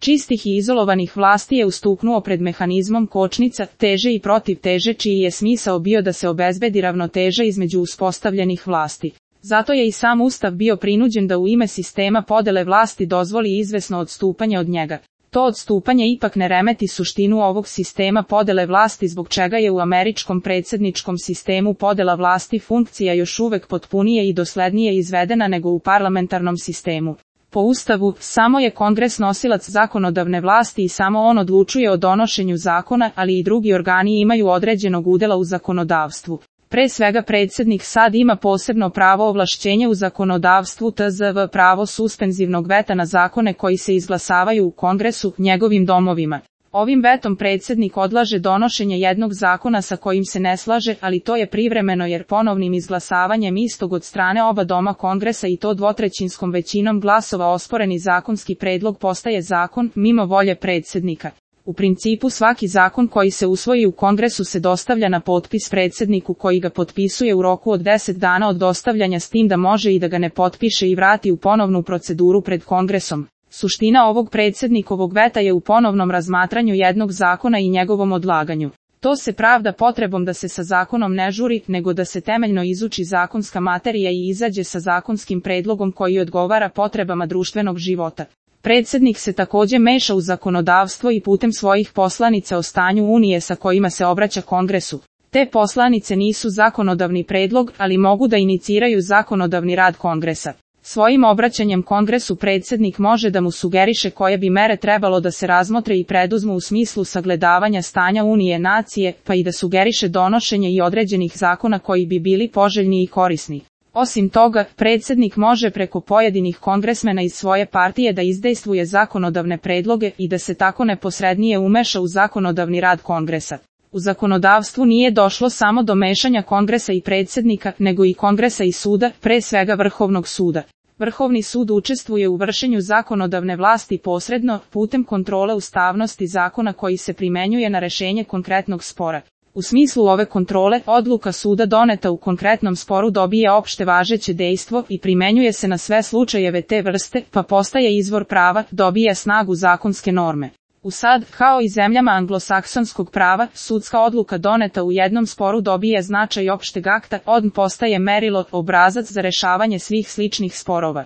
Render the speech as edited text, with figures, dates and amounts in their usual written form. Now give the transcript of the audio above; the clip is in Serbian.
čistih i izolovanih vlasti je ustuknuo pred mehanizmom kočnica, teže i protiv teže, čiji je smisao bio da se obezbedi ravnoteža između uspostavljenih vlasti. Zato je i sam Ustav bio prinuđen da u ime sistema podele vlasti dozvoli izvesno odstupanje od njega. To odstupanje ipak ne remeti suštinu ovog sistema podele vlasti, zbog čega je u američkom predsjedničkom sistemu podela vlasti funkcija još uvek potpunije i doslednije izvedena nego u parlamentarnom sistemu. Po Ustavu, samo je Kongres nosilac zakonodavne vlasti i samo on odlučuje o donošenju zakona, ali i drugi organi imaju određenog udela u zakonodavstvu. Pre svega predsjednik sad ima posebno pravo ovlašćenja u zakonodavstvu tzv. Pravo suspenzivnog veta na zakone koji se izglasavaju u Kongresu, njegovim domovima. Ovim vetom predsjednik odlaže donošenje jednog zakona sa kojim se ne slaže, ali to je privremeno jer ponovnim izglasavanjem istog od strane oba doma Kongresa i to dvotrećinskom većinom glasova osporeni zakonski predlog postaje zakon, mimo volje predsjednika. U principu svaki zakon koji se usvoji u Kongresu se dostavlja na potpis predsjedniku koji ga potpisuje u roku od 10 dana od dostavljanja, s tim da može i da ga ne potpiše i vrati u ponovnu proceduru pred Kongresom. Suština ovog predsjednikovog veta je u ponovnom razmatranju jednog zakona i njegovom odlaganju. To se pravda potrebom da se sa zakonom ne žuri, nego da se temeljno izuči zakonska materija i izađe sa zakonskim predlogom koji odgovara potrebama društvenog života. Predsjednik se također meša u zakonodavstvo i putem svojih poslanica o stanju Unije sa kojima se obraća Kongresu. Te poslanice nisu zakonodavni predlog, ali mogu da iniciraju zakonodavni rad Kongresa. Svojim obraćanjem Kongresu predsjednik može da mu sugeriše koje bi mere trebalo da se razmotre i preduzmu u smislu sagledavanja stanja Unije nacije, pa i da sugeriše donošenje i određenih zakona koji bi bili poželjni i korisni. Osim toga, predsjednik može preko pojedinih kongresmena iz svoje partije da izdejstvuje zakonodavne predloge i da se tako neposrednije umeša u zakonodavni rad Kongresa. U zakonodavstvu nije došlo samo do mešanja Kongresa i predsjednika, nego i Kongresa i suda, pre svega Vrhovnog suda. Vrhovni sud učestvuje u vršenju zakonodavne vlasti posredno, putem kontrole ustavnosti zakona koji se primenjuje na rešenje konkretnog spora. U smislu ove kontrole, odluka suda doneta u konkretnom sporu dobije opšte važeće dejstvo i primenjuje se na sve slučajeve te vrste, pa postaje izvor prava, dobija snagu zakonske norme. U sad, kao i zemljama anglosaksonskog prava, sudska odluka doneta u jednom sporu dobije značaj opšteg akta, on postaje merilo, obrazac za rešavanje svih sličnih sporova.